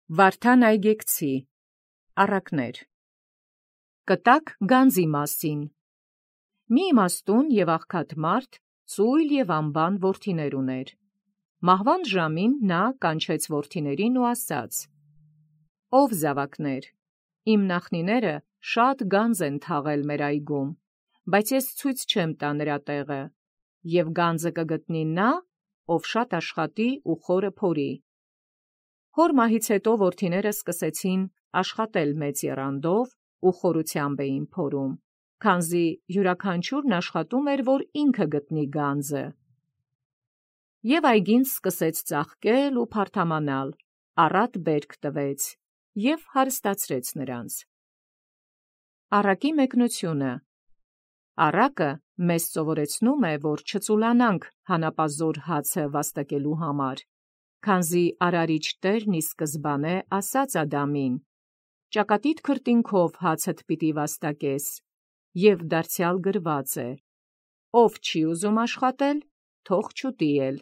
Վարդան այգեկցի առակներ կտակ գանձի մասին մի իմաստուն եւ աղքատ մարդ ծույլ եւ անբան որդիներ ուներ մահվան ժամին նա կանչեց որդիներին ու ասաց. «Ով զավակներ, իմ նախնիները շատ գանձ են թաղել մեր այգում, բայց ես ցույց չեմ տա նրա տեղը, եւ գանձը կգտնի նա, ով շատ աշխատի ու խորը փորի»։ Հոր մահից հետո որդիները սկսեցին աշխատել մեծ եռանդով ու խորությամբ էին փորում, քանզի յուրաքանչյուրն աշխատում էր, որ ինքը գտնի գանձը։ Եվ այգին սկսեց ծաղկել ու փարթամանալ, առատ բերք տվեց և հարստացրեց նրանց։ Առակի մեկնությունը առակը մեզ սովորեցնում է, որ չծուլանանք հանապազոր հացը վաստակելու համար, քանզի Արարիչ Տերն ի սկզբանե ասաց Ադամին. «Ճակատիդ քրտինքով հացդ պիտի վաստակես», և դարձյալ գրված է. «Ով չի ուզում աշխատել, թող չուտի էլ»։